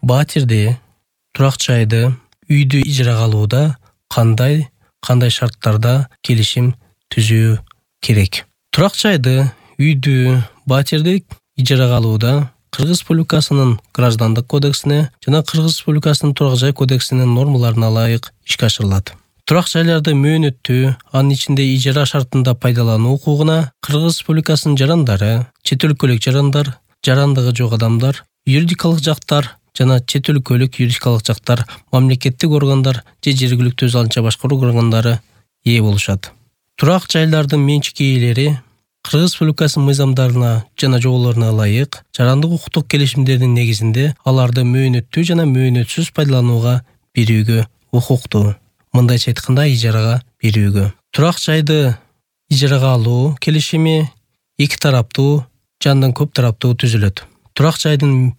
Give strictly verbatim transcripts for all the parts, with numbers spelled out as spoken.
Батирди, турак жайды, үйдү ижарага алууда кандай кандай шарттарда келишим түзүү керек? Турак жайды, үйдү, батирди ижарага алууда Кыргыз Республикасынын Граждандык кодексине жана Кыргыз Республикасынын Турак жай кодексинин нормаларына ылайык ишке ашырылат. Турак жайларды мөөнөттүү, анын ичинде ижара шартында пайдалануу укугуна Кыргыз Республикасынын жарандары, чет өлкөлүк жарандар, жарандыгы жок адамдар, юридикалык жактар жана чет өлкөлүк юридикалык жактар, мамлекеттик органдар же жергиликтүү өз алынча башкаруу органдары ээ болушат. Турак жайлардын менчик ээлери Кыргыз Республикасынын мыйзамдарына жана жоболоруна ылайык жарандык укуктук келишимдердин негизинде аларды мөөнөттүү жана мөөнөтсүз пайдаланууга берүүгө укуктуу. Мындайча айтканда ижарага берүүгө. Турак жайды ижарага алуу келишими эки тараптуу жандан көп тараптуу түзүлөт. Турак жайдын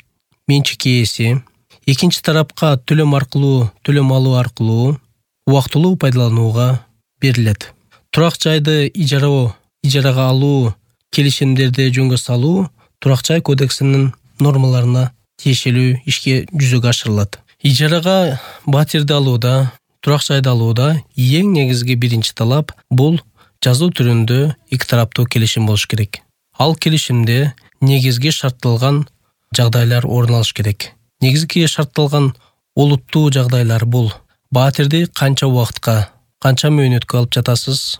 менчик ээси экинчи тарапка төлөм аркылуу, төлөм алуу аркылуу убактылуу пайдаланууга берилет. Турак жайды ижароо ижарага алуу келишимдерди жөнгө салуу Турак жай кодексинин нормаларына тиешелүү ишке жүзөгө ашырылат. Ижарага батирди алууда, турак жайды алууда эң негизги биринчи талап бул жазуу түрүндө эки тараптуу келишим болуш керек. Ал келишимде негизги шартталган жагдайлар орун алыш керек. Негизги шартталган олуттуу жагдайлар бул: батирди канча убакытка, канча мөөнөткө алып жатасыз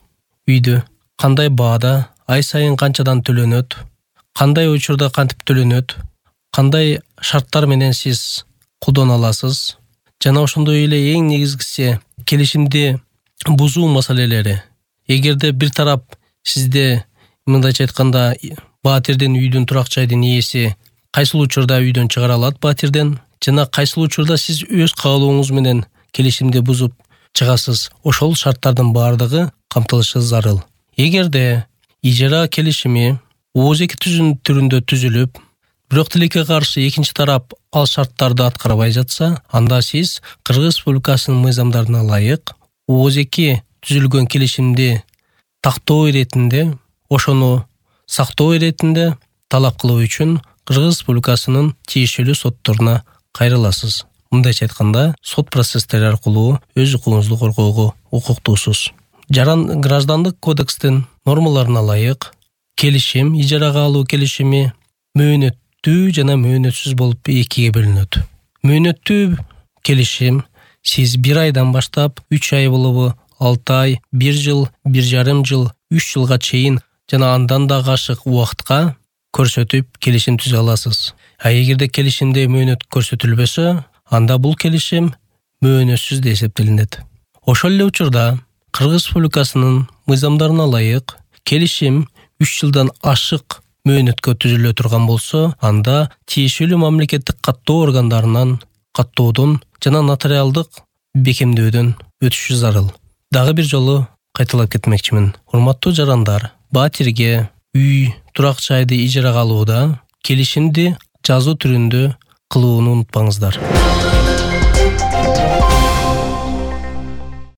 үйдү, кандай баада, ай сайын канчадан төлөнөт, кандай учурда кантип төлөнөт, кандай шарттар менен сиз колдоно аласыз жана ошондой эле эң негизгиси келишимди бузуу маселелери. Эгерде бир тарап сизде мындайча айтканда батирдин үйдүн турак жайдын ээси кайсыл учурда үйдөн чыгара алат батирден жана кайсыл учурда сиз өз каалооңуз менен келишимди бузуп чыгасыз, ошол шарттардын баардыгы камтылышы зарыл. Эгерде ижара келишими ооз-эки түзүн түрүндө түзүлүп, бирок тилекке каршы экинчи тарап ал шарттарды аткарбай жатса, анда сиз Кыргыз Республикасынын мыйзамдарына ылайык ооз-эки түзүлгөн келишимди тактоо иретинде, ошону сактоо иретинде талап кылуу үчүн Кыргыз Республикасынын тиешелүү сотторуна кайрыласыз. Мындайча айтканда, сот процесстери аркылуу өз укугуңузду коргоого укуктуусуз. Жаран Граждандык кодекстин нормаларына ылайык келишим, ижарага алуу келишими мөөнөттүү жана мөөнөтсүз болуп экиге бөлүнөт. Мөөнөттүү келишим сиз бир айдан баштап үч ай болобу, алты ай, бир жыл, бир жарым жыл, үч жылга чейин жана андан да ашык убакытка көрсөтүп келишим түзө аласыз. А эгерде келишимде мөөнөт көрсөтүлбөсө, анда бул келишим мөөнөтсүз деп эсептелинет. Ошол эле учурда Кыргыз Республикасынын мыйзамдарына ылайык келишим үч жылдан ашык мөөнөткө түзүлө турган болсо, анда тиешелүү мамлекеттик каттоо органдарынан каттоодон жана нотариалдык бекемдөөдөн өтүшү зарыл. Дагы бир жолу кайталап кетмекчимин. Урматтуу жарандар, батирге үй, турак жайды ижарага алууда келишимди жазуу түрүндө кылууну унутпаңыздар.